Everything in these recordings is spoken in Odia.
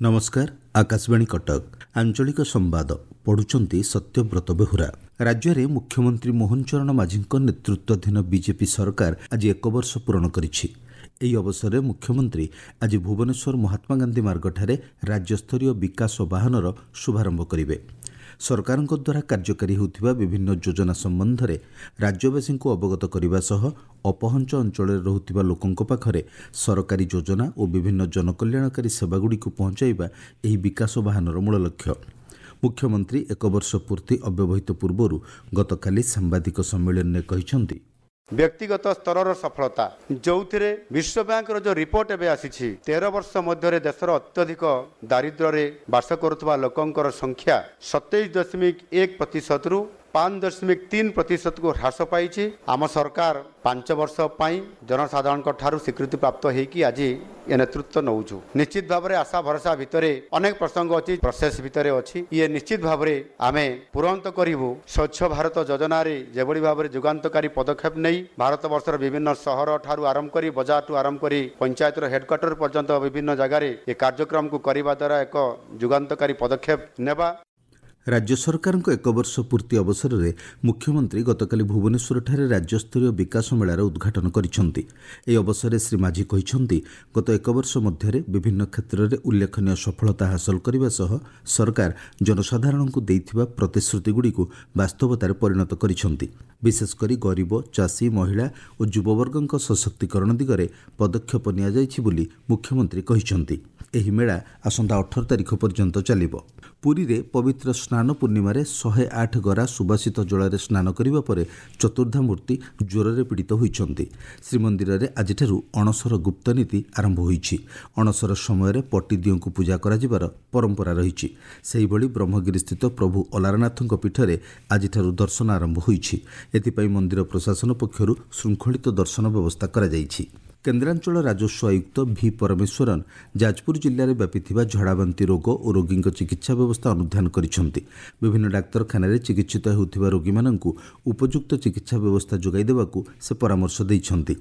ନମସ୍କାର, ଆକାଶବାଣୀ କଟକ, ଆଞ୍ଚଳିକ ସମ୍ବାଦ ପଢୁଛନ୍ତି ସତ୍ୟବ୍ରତ ବେହୁରା। ରାଜ୍ୟରେ ମୁଖ୍ୟମନ୍ତ୍ରୀ ମୋହନ ଚରଣ ମାଝୀଙ୍କ ନେତୃତ୍ୱାଧୀନ ବିଜେପି ସରକାର ଆଜି ଏକ ବର୍ଷ ପୂରଣ କରିଛି। ଏହି ଅବସରରେ ମୁଖ୍ୟମନ୍ତ୍ରୀ ଆଜି ଭୁବନେଶ୍ୱର ମହାତ୍ମାଗାନ୍ଧୀ ମାର୍ଗଠାରେ ରାଜ୍ୟସ୍ତରୀୟ ବିକାଶ ବାହନର ଶୁଭାରମ୍ଭ କରିବେ। ସରକାରଙ୍କ ଦ୍ୱାରା କାର୍ଯ୍ୟକାରୀ ହେଉଥିବା ବିଭିନ୍ନ ଯୋଜନା ସମ୍ବନ୍ଧରେ ରାଜ୍ୟବାସୀଙ୍କୁ ଅବଗତ କରିବା ସହ ଅପହଞ୍ଚ ଅଞ୍ଚଳରେ ରହୁଥିବା ଲୋକଙ୍କ ପାଖରେ ସରକାରୀ ଯୋଜନା ଓ ବିଭିନ୍ନ ଜନକଲ୍ୟାଣକାରୀ ସେବାଗୁଡ଼ିକୁ ପହଞ୍ଚାଇବା ଏହି ବିକାଶ ବାହନର ମୂଳ ଲକ୍ଷ୍ୟ। ମୁଖ୍ୟମନ୍ତ୍ରୀ ଏକ ବର୍ଷ ପୂର୍ତ୍ତି ଅବ୍ୟବହିତ ପୂର୍ବରୁ ଗତକାଲି ସାମ୍ବାଦିକ ସମ୍ମିଳନୀରେ କହିଛନ୍ତି, ବ୍ୟକ୍ତିଗତ ସ୍ତରର ସଫଳତା, ଯେଉଁଥିରେ ବିଶ୍ୱ ବ୍ୟାଙ୍କର ଯେଉଁ ରିପୋର୍ଟ ଏବେ ଆସିଛି, 13 ବର୍ଷ ମଧ୍ୟରେ ଦେଶର ଅତ୍ୟଧିକ ଦାରିଦ୍ର୍ୟରେ ବାସ କରୁଥିବା ଲୋକଙ୍କର ସଂଖ୍ୟା 27.1 ପ୍ରତିଶତରୁ 5.3 ପ୍ରତିଶତକୁ ହ୍ରାସ ପାଇଛି। ଆମ ସରକାର 5 ବର୍ଷ ପାଇଁ ଜନସାଧାରଣଙ୍କ ଠାରୁ ସ୍ୱୀକୃତି ପ୍ରାପ୍ତ ହେଇକି ଆଜି ଏ ନେତୃତ୍ୱ ନେଉଛୁ। ନିଶ୍ଚିତ ଭାବରେ ଆଶା ଭରସା ଭିତରେ ଅନେକ ପ୍ରସଙ୍ଗ ଅଛି, ପ୍ରୋସେସ୍ ଭିତରେ ଅଛି, ଇଏ ନିଶ୍ଚିତ ଭାବରେ ଆମେ ତୁରନ୍ତ କରିବୁ। ସ୍ୱଚ୍ଛ ଭାରତ ଯୋଜନାରେ ଯେଭଳି ଭାବରେ ଯୁଗାନ୍ତକାରୀ ପଦକ୍ଷେପ ନେଇ ଭାରତବର୍ଷର ବିଭିନ୍ନ ସହର ଠାରୁ ଆରମ୍ଭ କରି ବଜାରଠୁ ଆରମ୍ଭ କରି ପଞ୍ଚାୟତର ହେଡକ୍ୱାର୍ଟର ପର୍ଯ୍ୟନ୍ତ ବିଭିନ୍ନ ଜାଗାରେ ଏ କାର୍ଯ୍ୟକ୍ରମକୁ କରିବା ଦ୍ୱାରା ଏକ ଯୁଗାନ୍ତକାରୀ ପଦକ୍ଷେପ ନେବା। ରାଜ୍ୟ ସରକାରଙ୍କ ଏକ ବର୍ଷ ପୂର୍ତ୍ତି ଅବସରରେ ମୁଖ୍ୟମନ୍ତ୍ରୀ ଗତକାଲି ଭୁବନେଶ୍ୱରଠାରେ ରାଜ୍ୟସ୍ତରୀୟ ବିକାଶ ମେଳାର ଉଦ୍ଘାଟନ କରିଛନ୍ତି। ଏହି ଅବସରରେ ଶ୍ରୀ ମାଝୀ କହିଛନ୍ତି, ଗତ ଏକ ବର୍ଷ ମଧ୍ୟରେ ବିଭିନ୍ନ କ୍ଷେତ୍ରରେ ଉଲ୍ଲେଖନୀୟ ସଫଳତା ହାସଲ କରିବା ସହ ସରକାର ଜନସାଧାରଣଙ୍କୁ ଦେଇଥିବା ପ୍ରତିଶ୍ରୁତିଗୁଡ଼ିକୁ ବାସ୍ତବତାରେ ପରିଣତ କରିଛନ୍ତି। ବିଶେଷକରି ଗରିବ, ଚାଷୀ, ମହିଳା ଓ ଯୁବବର୍ଗଙ୍କ ସଶକ୍ତିକରଣ ଦିଗରେ ପଦକ୍ଷେପ ନିଆଯାଇଛି ବୋଲି ମୁଖ୍ୟମନ୍ତ୍ରୀ କହିଛନ୍ତି। ଏହି ମେଳା ଆସନ୍ତା 18 ତାରିଖ ପର୍ଯ୍ୟନ୍ତ ଚାଲିବ। ପୁରୀରେ ପବିତ୍ର ସ୍ନାନ ପୂର୍ଣ୍ଣିମାରେ 108 ଗରା ସୁବାସିତ ଜଳରେ ସ୍ନାନ କରିବା ପରେ ଚତୁର୍ଦ୍ଧାମୂର୍ତ୍ତି ଜ୍ୱରରେ ପୀଡ଼ିତ ହୋଇଛନ୍ତି। ଶ୍ରୀମନ୍ଦିରରେ ଆଜିଠାରୁ ଅଣସର ଗୁପ୍ତନୀତି ଆରମ୍ଭ ହୋଇଛି। ଅଣସର ସମୟରେ ପଟିଦିଅଙ୍କୁ ପୂଜା କରାଯିବାର ପରମ୍ପରା ରହିଛି। ସେହିଭଳି ବ୍ରହ୍ମଗିରିସ୍ଥିତ ପ୍ରଭୁ ଅଲାରନାଥଙ୍କ ପୀଠରେ ଆଜିଠାରୁ ଦର୍ଶନ ଆରମ୍ଭ ହୋଇଛି। ଏଥିପାଇଁ ମନ୍ଦିର ପ୍ରଶାସନ ପକ୍ଷରୁ ଶୃଙ୍ଖଳିତ ଦର୍ଶନ ବ୍ୟବସ୍ଥା କରାଯାଇଛି। କେନ୍ଦ୍ରାଞ୍ଚଳ ରାଜସ୍ୱ ଆୟୁକ୍ତ ଭି ପରମେଶ୍ୱରନ୍ ଯାଜପୁର ଜିଲ୍ଲାରେ ବ୍ୟାପିଥିବା ଝଡ଼ାବାନ୍ତି ରୋଗ ଓ ରୋଗୀଙ୍କ ଚିକିତ୍ସା ବ୍ୟବସ୍ଥା ଅନୁଧ୍ୟାନ କରିଛନ୍ତି। ବିଭିନ୍ନ ଡାକ୍ତରଖାନାରେ ଚିକିତ୍ସିତ ହେଉଥିବା ରୋଗୀମାନଙ୍କୁ ଉପଯୁକ୍ତ ଚିକିତ୍ସା ବ୍ୟବସ୍ଥା ଯୋଗାଇ ଦେବାକୁ ସେ ପରାମର୍ଶ ଦେଇଛନ୍ତି।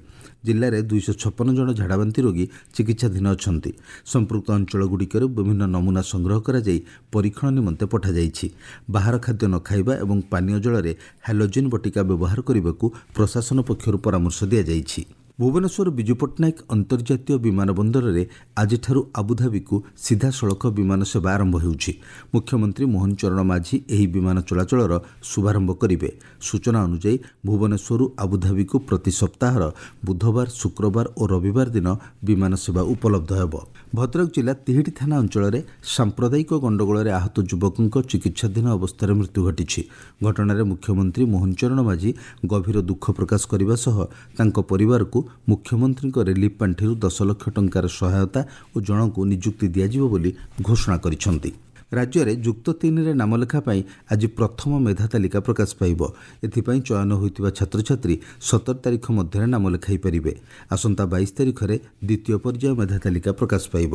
ଜିଲ୍ଲାରେ 256 ଜଣ ଝାଡ଼ାବାନ୍ତି ରୋଗୀ ଚିକିତ୍ସାଧୀନ ଅଛନ୍ତି। ସମ୍ପୃକ୍ତ ଅଞ୍ଚଳଗୁଡ଼ିକରୁ ବିଭିନ୍ନ ନମୁନା ସଂଗ୍ରହ କରାଯାଇ ପରୀକ୍ଷଣ ନିମନ୍ତେ ପଠାଯାଇଛି। ବାହାର ଖାଦ୍ୟ ନ ଖାଇବା ଏବଂ ପାନୀୟ ଜଳରେ ହାଲୋଜିନ୍ ବଟିକା ବ୍ୟବହାର କରିବାକୁ ପ୍ରଶାସନ ପକ୍ଷରୁ ପରାମର୍ଶ ଦିଆଯାଇଛି। ଭୁବନେଶ୍ୱର ବିଜୁ ପଟ୍ଟନାୟକ ଅନ୍ତର୍ଜାତୀୟ ବିମାନ ବନ୍ଦରରେ ଆଜିଠାରୁ ଆବୁଧାବିକୁ ସିଧାସଳଖ ବିମାନ ସେବା ଆରମ୍ଭ ହେଉଛି। ମୁଖ୍ୟମନ୍ତ୍ରୀ ମୋହନ ଚରଣ ମାଝୀ ଏହି ବିମାନ ଚଳାଚଳର ଶୁଭାରମ୍ଭ କରିବେ। ସୂଚନା ଅନୁଯାୟୀ ଭୁବନେଶ୍ୱରରୁ ଆବୁଧାବିକୁ ପ୍ରତି ସପ୍ତାହର ବୁଧବାର, ଶୁକ୍ରବାର ଓ ରବିବାର ଦିନ ବିମାନ ସେବା ଉପଲବ୍ଧ ହେବ। ଭଦ୍ରକ ଜିଲ୍ଲା ତିହିଡ଼ି ଥାନା ଅଞ୍ଚଳରେ ସାମ୍ପ୍ରଦାୟିକ ଗଣ୍ଡଗୋଳରେ ଆହତ ଯୁବକଙ୍କ ଚିକିତ୍ସାଧୀନ ଅବସ୍ଥାରେ ମୃତ୍ୟୁ ଘଟିଛି। ଘଟଣାରେ ମୁଖ୍ୟମନ୍ତ୍ରୀ ମୋହନ ଚରଣ ମାଝୀ ଗଭୀର ଦୁଃଖ ପ୍ରକାଶ କରିବା ସହ ତାଙ୍କ ପରିବାରକୁ ମୁଖ୍ୟମନ୍ତ୍ରୀଙ୍କ ରିଲିଫ୍ ପାଣ୍ଠିରୁ 10 ଲକ୍ଷ ଟଙ୍କାର ସହାୟତା ଓ ଜଣଙ୍କୁ ନିଯୁକ୍ତି ଦିଆଯିବ ବୋଲି ଘୋଷଣା କରିଛନ୍ତି। ରାଜ୍ୟରେ ଯୁକ୍ତ 3ରେ ନାମଲେଖା ପାଇଁ ଆଜି ପ୍ରଥମ ମେଧା ତାଲିକା ପ୍ରକାଶ ପାଇବ। ଏଥିପାଇଁ ଚୟନ ହୋଇଥିବା ଛାତ୍ରଛାତ୍ରୀ 17 ତାରିଖ ମଧ୍ୟରେ ନାମ ଲେଖାଇ ପାରିବେ। ଆସନ୍ତା 22 ତାରିଖରେ ଦ୍ୱିତୀୟ ପର୍ଯ୍ୟାୟ ମେଧା ତାଲିକା ପ୍ରକାଶ ପାଇବ।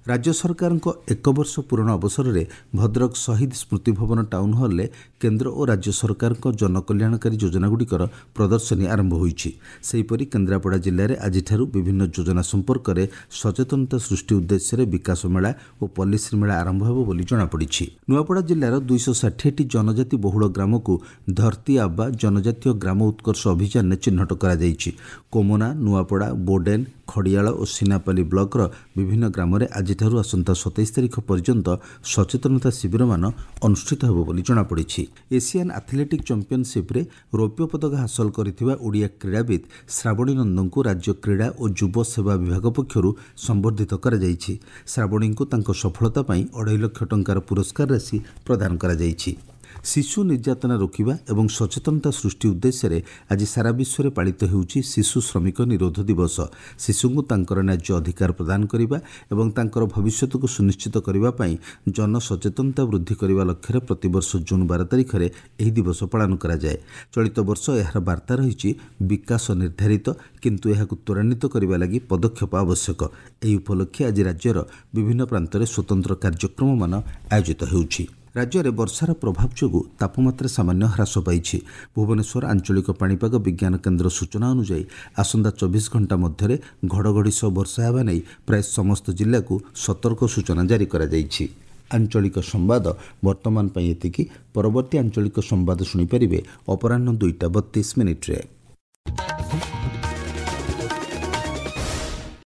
ରାଜ୍ୟ ସରକାରଙ୍କ ଏକ ବର୍ଷ ପୂରଣ ଅବସରରେ ଭଦ୍ରକ ଶହୀଦ ସ୍ମୃତି ଭବନ ଟାଉନ୍ ହଲ୍ରେ କେନ୍ଦ୍ର ଓ ରାଜ୍ୟ ସରକାରଙ୍କ ଜନକଲ୍ୟାଣକାରୀ ଯୋଜନାଗୁଡ଼ିକର ପ୍ରଦର୍ଶନୀ ଆରମ୍ଭ ହୋଇଛି। ସେହିପରି କେନ୍ଦ୍ରାପଡ଼ା ଜିଲ୍ଲାରେ ଆଜିଠାରୁ ବିଭିନ୍ନ ଯୋଜନା ସମ୍ପର୍କରେ ସଚେତନତା ସୃଷ୍ଟି ଉଦ୍ଦେଶ୍ୟରେ ବିକାଶ ମେଳା ଓ ପଲ୍ଲୀଶ୍ରୀ ମେଳା ଆରମ୍ଭ ହେବ ବୋଲି ଜଣାପଡ଼ିଛି। ନୂଆପଡ଼ା ଜିଲ୍ଲାର 260ଟି ଜନଜାତି ବହୁଳ ଗ୍ରାମକୁ ଧରତୀ ଆବା ଜନଜାତୀୟ ଗ୍ରାମ ଉତ୍କର୍ଷ ଅଭିଯାନରେ ଚିହ୍ନଟ କରାଯାଇଛି। କୋମନା, ନୂଆପଡ଼ା, ବୋଡେନ୍, ଖଡ଼ିଆଳ ଓ ସିନାପାଲି ବ୍ଲକର ବିଭିନ୍ନ ଗ୍ରାମରେ ଆଜିଠାରୁ ଆସନ୍ତା 27 ତାରିଖ ପର୍ଯ୍ୟନ୍ତ ସଚେତନତା ଶିବିରମାନ ଅନୁଷ୍ଠିତ ହେବ ବୋଲି ଜଣାପଡ଼ିଛି। ଏସିଆନ୍ ଆଥଲେଟିକ୍ ଚାମ୍ପିୟନସିପ୍ରେ ରୌପ୍ୟ ପଦକ ହାସଲ କରିଥିବା ଓଡ଼ିଆ କ୍ରୀଡ଼ାବିତ୍ ଶ୍ରାବଣୀ ନନ୍ଦଙ୍କୁ ରାଜ୍ୟ କ୍ରୀଡ଼ା ଓ ଯୁବ ସେବା ବିଭାଗ ପକ୍ଷରୁ ସମ୍ବର୍ଦ୍ଧିତ କରାଯାଇଛି। ଶ୍ରାବଣୀଙ୍କୁ ତାଙ୍କ ସଫଳତା ପାଇଁ 2.5 ଲକ୍ଷ ଟଙ୍କାର ପୁରସ୍କାର ରାଶି ପ୍ରଦାନ କରାଯାଇଛି। ଶିଶୁ ନିର୍ଯାତନା ରୋକିବା ଏବଂ ସଚେତନତା ସୃଷ୍ଟି ଉଦ୍ଦେଶ୍ୟରେ ଆଜି ସାରା ବିଶ୍ୱରେ ପାଳିତ ହେଉଛି ଶିଶୁ ଶ୍ରମିକ ନିରୋଧ ଦିବସ। ଶିଶୁଙ୍କୁ ତାଙ୍କର ନ୍ୟାଯ୍ୟ ଅଧିକାର ପ୍ରଦାନ କରିବା ଏବଂ ତାଙ୍କର ଭବିଷ୍ୟତକୁ ସୁନିଶ୍ଚିତ କରିବା ପାଇଁ ଜନସଚେତନତା ବୃଦ୍ଧି କରିବା ଲକ୍ଷ୍ୟରେ ପ୍ରତିବର୍ଷ ଜୁନ୍ 12 ତାରିଖରେ ଏହି ଦିବସ ପାଳନ କରାଯାଏ। ଚଳିତ ବର୍ଷ ଏହାର ବାର୍ତ୍ତା ରହିଛି ବିକାଶ ନିର୍ଦ୍ଧାରିତ, କିନ୍ତୁ ଏହାକୁ ତ୍ୱରାନ୍ୱିତ କରିବା ଲାଗି ପଦକ୍ଷେପ ଆବଶ୍ୟକ। ଏହି ଉପଲକ୍ଷେ ଆଜି ରାଜ୍ୟର ବିଭିନ୍ନ ପ୍ରାନ୍ତରେ ସ୍ୱତନ୍ତ୍ର କାର୍ଯ୍ୟକ୍ରମମାନ ଆୟୋଜିତ ହେଉଛି। ରାଜ୍ୟରେ ବର୍ଷାର ପ୍ରଭାବ ଯୋଗୁଁ ତାପମାତ୍ରା ସାମାନ୍ୟ ହ୍ରାସ ପାଇଛି। ଭୁବନେଶ୍ୱର ଆଞ୍ଚଳିକ ପାଣିପାଗ ବିଜ୍ଞାନ କେନ୍ଦ୍ର ସୂଚନା ଅନୁଯାୟୀ ଆସନ୍ତା 24 ଘଣ୍ଟା ମଧ୍ୟରେ ଘଡ଼ଘଡ଼ି ସହ ବର୍ଷା ହେବା ନେଇ ପ୍ରାୟ ସମସ୍ତ ଜିଲ୍ଲାକୁ ସତର୍କ ସୂଚନା ଜାରି କରାଯାଇଛି। ଆଞ୍ଚଳିକ ସମ୍ବାଦ ବର୍ତ୍ତମାନ ପାଇଁ ଏତିକି। ପରବର୍ତ୍ତୀ ଆଞ୍ଚଳିକ ସମ୍ବାଦ ଶୁଣିପାରିବେ ଅପରାହ୍ନ 2ଟା 32 ମିନିଟ୍ରେ।